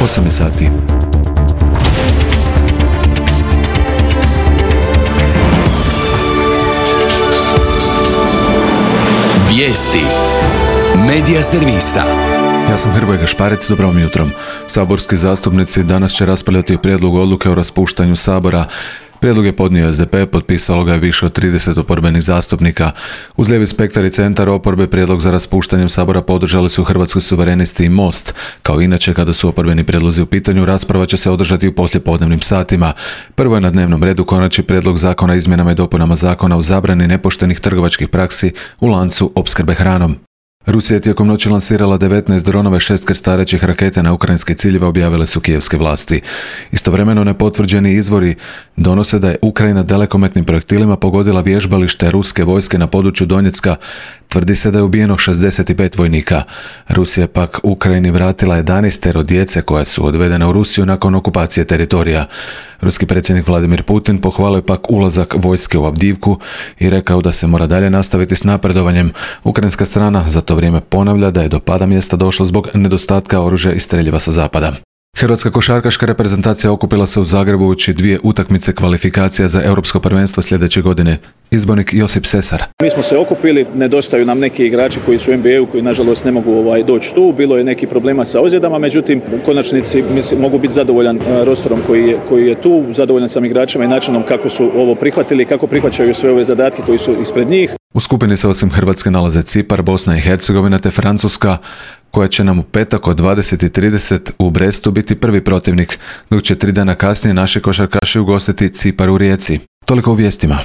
8 sati. Vijesti Medija servisa. Ja sam Hrvoje Gašparec, dobro vam jutro. Saborski zastupnici danas će raspravljati o prijedlogu odluke o raspuštanju Sabora. Prijedlog je podnio SDP, potpisalo ga je više od 30 oporbenih zastupnika. Uz lijevi spektar i centar oporbe prijedlog za raspuštanjem Sabora podržali su Hrvatski suverenisti i Most. Kao inače, kada su oporbeni prijedlozi u pitanju, rasprava će se održati u poslijepodnevnim satima. Prvo je na dnevnom redu konačni prijedlog zakona o izmjenama i dopunama zakona o zabrani nepoštenih trgovačkih praksi u lancu opskrbe hranom. Rusija je tijekom noći lansirala 19 dronova i 6 krstarećih raketa na ukrajinske ciljeve, objavile su kijevske vlasti. Istovremeno nepotvrđeni izvori donose da je Ukrajina dalekometnim projektilima pogodila vježbalište ruske vojske na području Donjecka. Tvrdi se da je ubijeno 65 vojnika. Rusija je pak Ukrajini vratila 11 djece koja su odvedena u Rusiju nakon okupacije teritorija. Ruski predsjednik Vladimir Putin pohvalio pak ulazak vojske u Avdivku i rekao da se mora dalje nastaviti s napredovanjem. Ukrajinska strana za to vrijeme ponavlja da je do pada mjesta došlo zbog nedostatka oružja i streljiva sa zapada. Hrvatska košarkaška reprezentacija okupila se u Zagrebu uoči 2 utakmice kvalifikacija za Europsko prvenstvo sljedeće godine. Izbornik Josip Sesar. Mi smo se okupili, nedostaju nam neki igrači koji su u NBA-u, koji nažalost ne mogu doći tu. Bilo je neki problema sa ozljedama, međutim u konačnici mogu biti zadovoljan rosterom koji je tu, zadovoljan sam igračima i načinom kako su ovo prihvatili, kako prihvaćaju sve ove zadatke koji su ispred njih. U skupini se osim Hrvatske nalaze Cipar, Bosna i Hercegovina te Francuska, koja će nam u petak od 20:30 u Brestu biti prvi protivnik, dok će 3 dana kasnije naši košarkaši ugostiti Cipar u Rijeci. Toliko u vijestima.